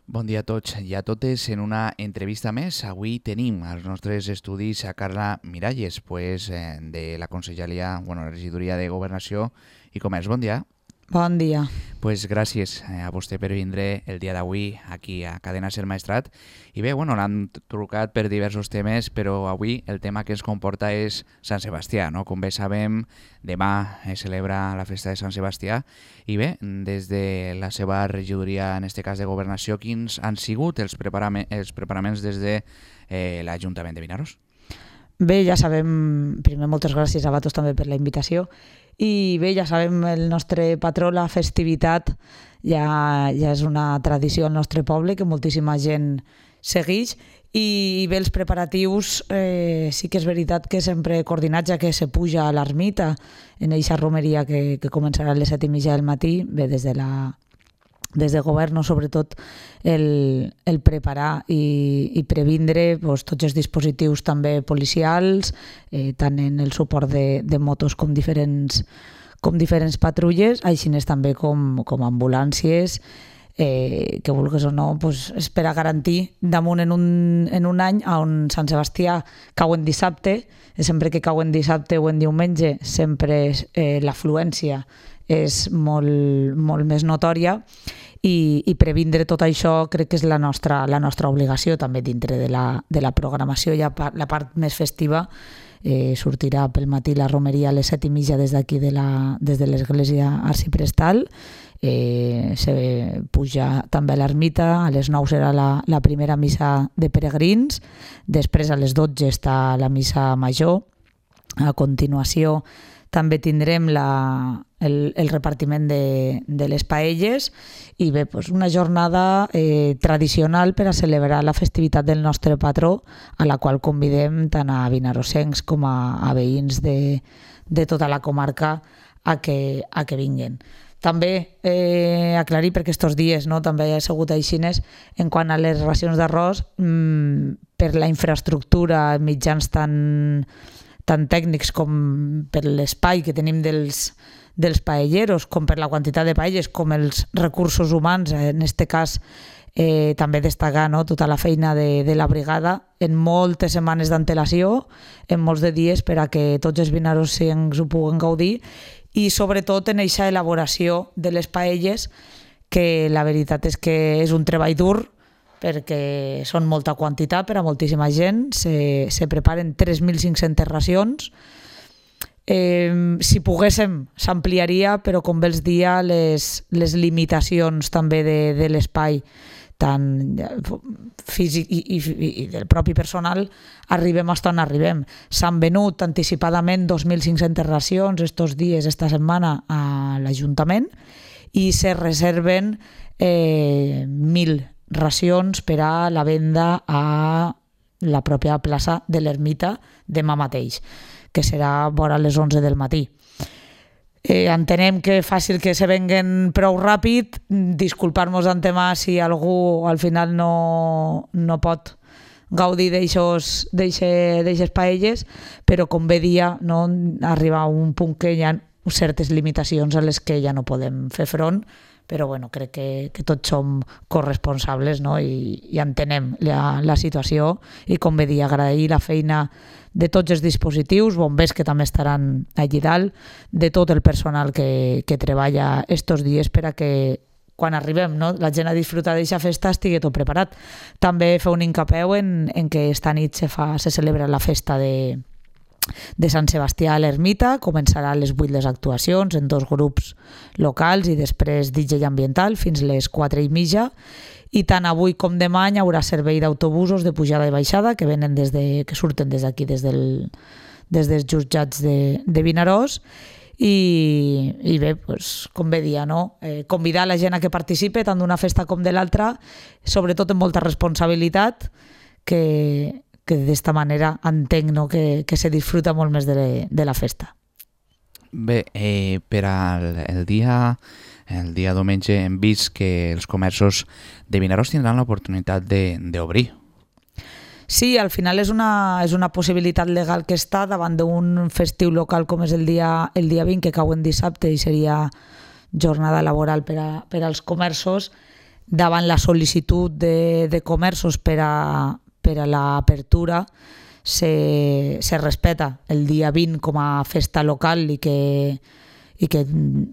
Bon dia a tots i a totes. En una entrevista més, avui tenim als nostres estudis a Carla Miralles, de la Conselleria, la Regidoria de Governació i Comerç. Bon dia. Bon dia. Gràcies a vostè per vindre el dia d'avui aquí a Cadena Ser Maestrat. I bé, l'han trucat per diversos temes, però avui el tema que ens comporta és Sant Sebastià, no? Com bé sabem, demà es celebra la festa de Sant Sebastià. I bé, des de la seva regidoria, en aquest cas de Governació, quins han sigut els preparaments des de l'Ajuntament de Vinaròs? Bé, ja sabem, primer moltes gràcies a vosaltres també per la invitació, i bé, ja sabem, el nostre patró, la festivitat, ja és una tradició al nostre poble que moltíssima gent segueix, i bé, els preparatius sí que és veritat que sempre coordinats, ja que se puja a l'ermita en aquesta romeria que començarà a les 7:30 del matí, bé, des de govern, sobretot el preparar i previndre tots els dispositius també policials, tant en el suport de motos com diferents patrulles, així també com ambulàncies, que vulguis o no, és per a garantir damunt en un any on Sant Sebastià cau en dissabte, sempre que cau en dissabte o en diumenge sempre l'afluència és molt més notòria, i previndre tot això crec que és la nostra obligació també dintre de la programació. Ja la part més festiva sortirà pel matí la romeria a les 7:30 des d'aquí des de l'església arciprestal, se puja també a l'ermita, a les 9 serà la primera missa de peregrins, després a les 12 està la missa major, a continuació també tindrem el repartiment de les paelles, i bé, una jornada tradicional per a celebrar la festivitat del nostre patró, a la qual convidem tant a vinarossencs com a veïns de tota la comarca a que vinguin. També aclarir, perquè aquests dies també ha sigut aixines, en quant a les racions d'arròs, per la infraestructura, mitjans tant tècnics com per l'espai que tenim dels paelleros, com per la quantitat de paelles, com els recursos humans, en aquest cas també destacar tota la feina de la brigada en moltes setmanes d'antelació, en molts de dies, per a que tots els vinarossencs ho puguen gaudir, i sobretot en aquesta elaboració de les paelles, que la veritat és que és un treball dur, perquè són molta quantitat per a moltíssima gent, se preparen 3.500 racions. Si poguéssim s'ampliaria, però com bé els dia, les limitacions també de l'espai tant físic i del propi personal, arribem fins on arribem. S'han venut anticipadament 2.500 racions estos dies, esta setmana, a l'Ajuntament, i se reserven 1.000 racions per a la venda a la pròpia plaça de l'Ermita demà mateix, que serà vora les 11 del matí. Entenem que és fàcil que se venguen prou ràpid, disculpar-nos d'antemà si algú al final no pot gaudir d'eixes paelles, però com bé dia, arriba a un punt que hi ha certes limitacions a les que ja no podem fer front, però crec que tots som corresponsables i entenem la situació, i com bé dir, agrair la feina de tots els dispositius, bombers que també estaran allí dalt, de tot el personal que treballa estos dies per a que quan arribem la gent a disfrutar d'aquesta festa estigui tot preparat. També fer un hincapeu en que esta nit se celebra la festa de Sant Sebastià a l'Ermita. Començarà a les 8 les actuacions en 2 grups locals i després DJ ambiental fins les 4:30, i tant avui com demà hi haurà servei d'autobusos de pujada i baixada que surten des d'aquí, des dels jutjats de Vinaròs, i bé, com bé dia, convidar la gent a que participe tant d'una festa com de l'altra, sobretot amb molta responsabilitat, que d'esta manera entenc que se disfruta molt més de la festa. Bé, per al dia diumenge hem vist que els comerços de Vinaròs tindran l'oportunitat d'obrir. Sí, al final és una possibilitat legal que està davant d'un festiu local com és el dia 20, que cau en dissabte i seria jornada laboral per als comerços. davant la sol·licitud de comerços per a l'apertura se respeta el dia 20 com a festa local i que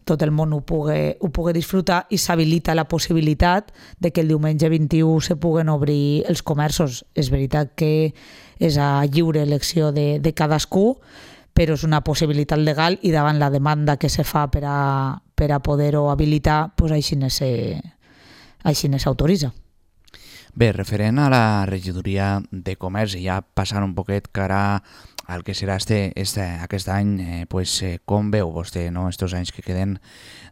tot el món ho pugui disfrutar, i s'habilita la possibilitat de que el diumenge 21 se puguen obrir els comerços. És veritat que és a lliure elecció de cadascú, però és una possibilitat legal i davant la demanda que se fa per a poder-ho habilitar, així s'autoritza. Bé, referent a la regidoria de comerç, i ja passant un poquet cara al que serà aquest any, com veu vostè estos anys que queden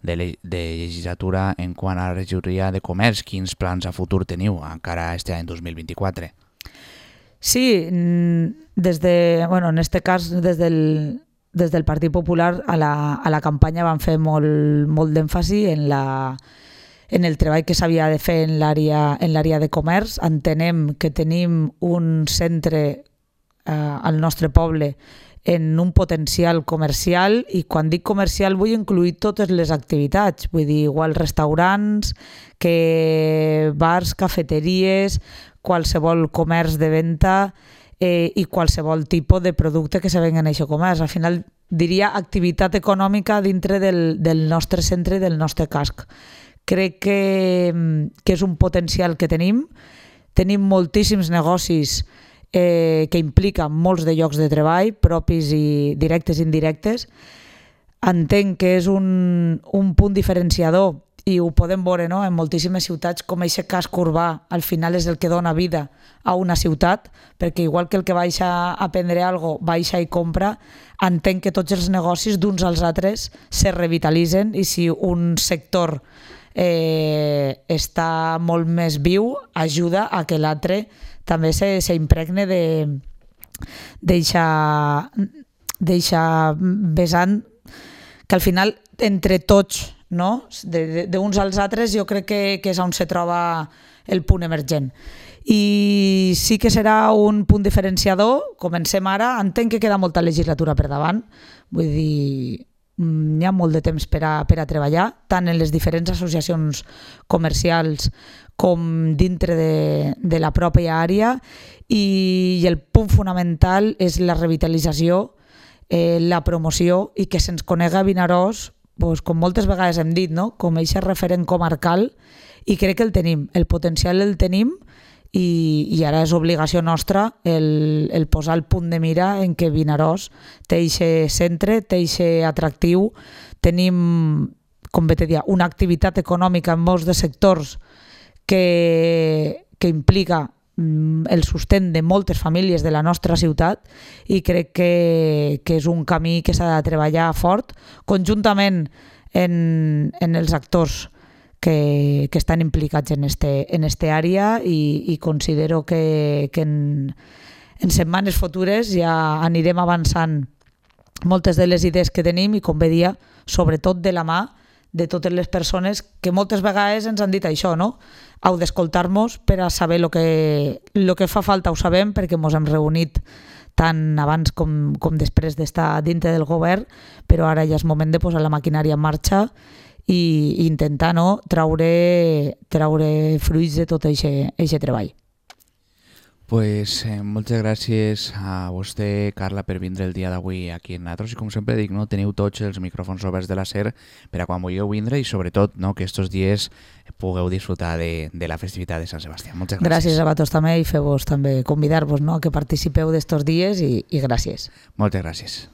de legislatura en quant a la regidoria de comerç? Quins plans a futur teniu encara aquest any 2024? Sí, en este cas des del Partit Popular a la campanya van fer molt d'èmfasi en el treball que s'havia de fer en l'àrea de comerç. Entenem que tenim un centre al nostre poble en un potencial comercial, i quan dic comercial vull incluir totes les activitats, vull dir, igual restaurants, que bars, cafeteries, qualsevol comerç de venda i qualsevol tipus de producte que se venga en aquest comerç. Al final diria activitat econòmica dintre del nostre centre i del nostre casc. Crec que és un potencial que tenim. Tenim moltíssims negocis que impliquen molts de llocs de treball, propis i directes i indirectes. Entenc que és un punt diferenciador, i ho podem veure en moltíssimes ciutats, com aquest casc urbà al final és el que dona vida a una ciutat, perquè igual que el que baixa a prendre alguna cosa baixa i compra, entenc que tots els negocis d'uns als altres se revitalitzen, i si un sector està molt més viu, ajuda a que l'altre també s'impregne d'eixa vessant, que al final entre tots, d'uns als altres, jo crec que és on se troba el punt emergent. I sí que serà un punt diferenciador. Comencem ara, entenc que queda molta legislatura per davant, vull dir, hi ha molt de temps per a treballar, tant en les diferents associacions comercials com dintre de la pròpia àrea, i el punt fonamental és la revitalització, la promoció, i que se'ns conega a Vinaròs, com moltes vegades hem dit, com aquest referent comarcal, i crec que el tenim, el potencial el tenim, i ara és obligació nostra el posar el punt de mira en què Vinaròs té aquest centre, té aquest atractiu. Tenim, com bé te deia, una activitat econòmica en molts de sectors que implica el sostén de moltes famílies de la nostra ciutat, i crec que és un camí que s'ha de treballar fort conjuntament en els actors que estan implicats en este àrea, i considero que en setmanes futures ja anirem avançant moltes de les idees que tenim, i com bé dia, sobretot de la mà de totes les persones que moltes vegades ens han dit això, heu d'escoltar-nos per a saber el que fa falta. Ho sabem perquè ens hem reunit tant abans com després d'estar dintre del govern, però ara ja és moment de posar la maquinària en marxa i intentar traure fruits de tot aquest treball. Moltes gràcies a vostè, Carla, per vindre el dia d'avui aquí en nosaltres, i com sempre dic, teniu tots els micròfons oberts de la SER per a quan vulgueu vindre, i sobretot que estos dies pugueu disfrutar de la festivitat de Sant Sebastià. Moltes gràcies. Gràcies a vosaltres també, i fer-vos també convidar-vos a que participeu d'estos dies, i gràcies. Moltes gràcies.